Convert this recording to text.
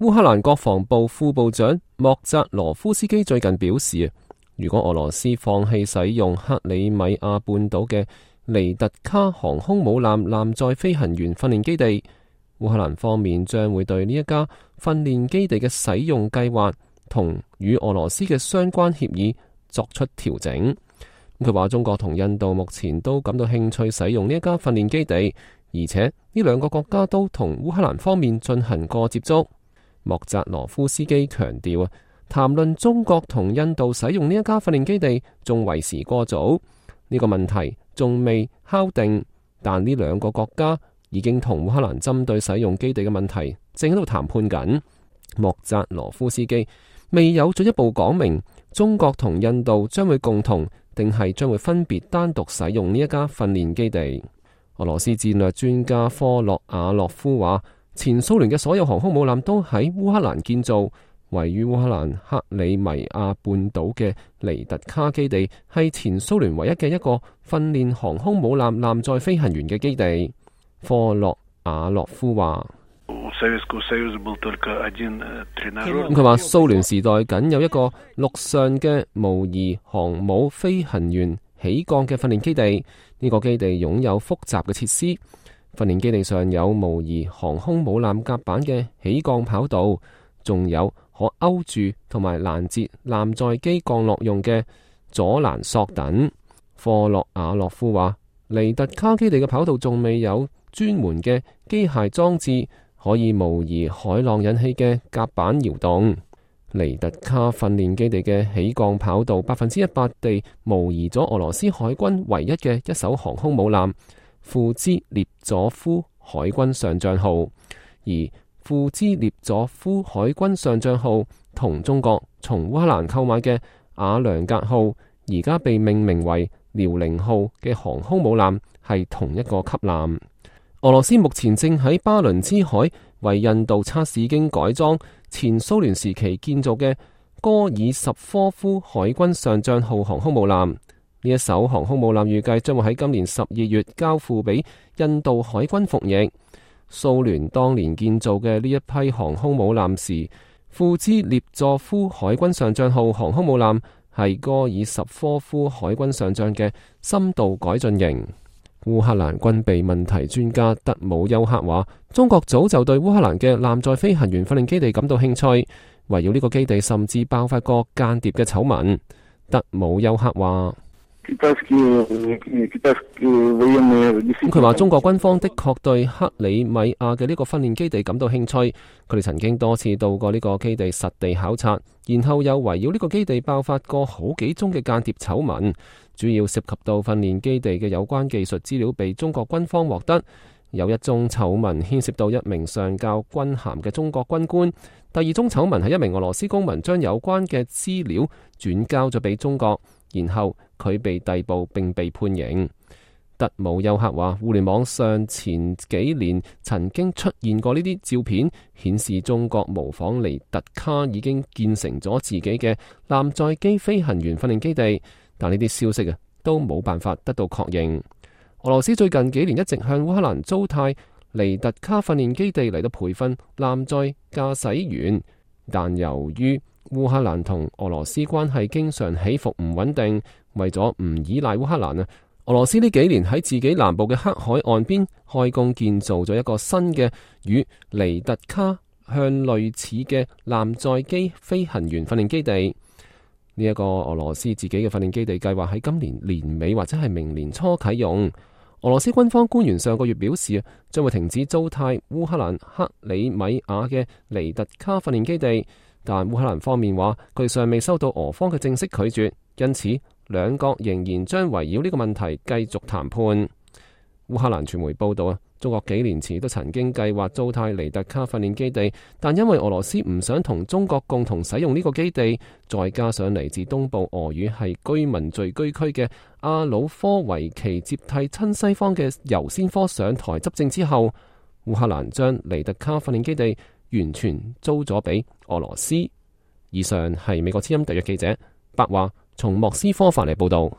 烏克蘭國防部副部長莫扎羅夫斯基最近表示，如果俄羅斯放棄使用克里米亞半島嘅尼特卡航空母艦艦載飛行員訓練基地，烏克蘭方面將會對呢一家訓練基地嘅使用計劃同與俄羅斯嘅相關協議作出調整。佢話中國同印度目前都感到興趣使用呢一家訓練基地，而且呢兩個國家都同烏克蘭方面進行過接觸。莫扎羅夫斯基強調，談論中國同印度使用呢一家訓練基地仲為時過早，呢個問題仲未敲定，但呢兩個國家已經同烏克蘭針對使用基地嘅問題正喺度談判緊。莫扎羅夫斯基未有進一步講明中國同印度將會共同定係將會分別單獨使用呢一家訓練基地。俄羅斯戰略專家科洛瓦洛夫話，前蘇聯嘅所有航空母艦都喺烏克蘭建造，位於烏克蘭克里米亞半島嘅尼特卡基地係前蘇聯唯一嘅一個訓練航空母艦艦載飛行員嘅基地。科洛瓦洛夫話，佢話蘇聯時代僅有一個陸上嘅模擬航母飛行員起降嘅訓練基地，呢個基地擁有複雜嘅設施。訓練基地上有模擬航空母艦甲板嘅起降跑道，仲有可勾住同埋攔截艦載機降落用嘅阻攔索等。科洛瓦洛夫話，尼特卡基地嘅跑道仲未有專門嘅機械裝置可以模擬海浪引起嘅甲板搖動。尼特卡訓練基地嘅起降跑道100%地模擬咗俄羅斯海軍唯一嘅一艘航空母艦庫茲列佐夫海軍上將號，而庫茲列佐夫海軍上將號同中國從烏克蘭購買嘅瓦良格號而家被命名為遼寧號嘅航空母艦係同一個級艦。俄羅斯目前正喺巴倫支海為印度測試經改裝前蘇聯時期建造嘅戈爾什科夫海軍上將號航空母艦。呢一艘航空母艦預計將會喺今年12月交付俾印度海軍服役。蘇聯當年建造嘅呢一批航空母艦時，庫茲列佐夫海軍上將號航空母艦係戈爾什科夫海軍上將嘅深度改進型。烏克蘭軍備問題專家德姆丘克話，中國早就對烏克蘭嘅艦載飛行員訓練基地感到興趣，圍繞呢個基地甚至爆發過間諜嘅醜聞。德姆丘克話，佢話中國軍方的確對克里米亞嘅呢個訓練基地感到興趣，佢哋曾經多次到過呢個基地實地考察，然後又圍繞呢個基地爆發過好幾宗嘅間諜醜聞，主要涉及到訓練基地嘅有關技術資料被中國軍方獲得，有一宗醜聞牽涉到一名上校軍銜嘅中國軍官，第二宗醜聞係一名俄羅斯公民將有關嘅資料轉交咗俾中國，然後佢被逮捕並被判刑。德姆丘克話，互聯網上前幾年曾經出現過呢啲照片，顯示中國模仿尼特卡已經建成咗自己嘅艦載機飛行員訓練基地，但呢啲消息都冇辦法得到確認。俄羅斯最近幾年一直向烏克蘭租貸尼特卡訓練基地嚟到培訓艦載駕駛員，但由於烏克蘭同俄羅斯關係經常起伏唔穩定，為咗唔依賴烏克蘭俄羅斯呢幾年喺自己南部嘅黑海岸邊開工建造咗一個新嘅與尼特卡向類似嘅艦載機飛行員訓練基地。呢一個俄羅斯自己嘅訓練基地計劃喺今年年尾或者係明年初啟用。俄羅斯軍方官員上個月表示，將會停止租貸烏克蘭克里米亞嘅尼特卡訓練基地，但烏克蘭方面話佢尚未收到俄方嘅正式拒絕，因此兩國仍然將圍繞呢個問題繼續談判。烏克蘭傳媒報道中國幾年前都曾經計劃租貸尼特卡訓練基地，但因為俄羅斯唔想同中國共同使用呢個基地，再加上嚟自東部俄語係居民聚居區嘅阿魯科維奇接替親西方嘅尤先科上台執政之後，烏克蘭將尼特卡訓練基地完全租咗俾俄羅斯。以上係美國之音特約記者白話從莫斯科發嚟報道。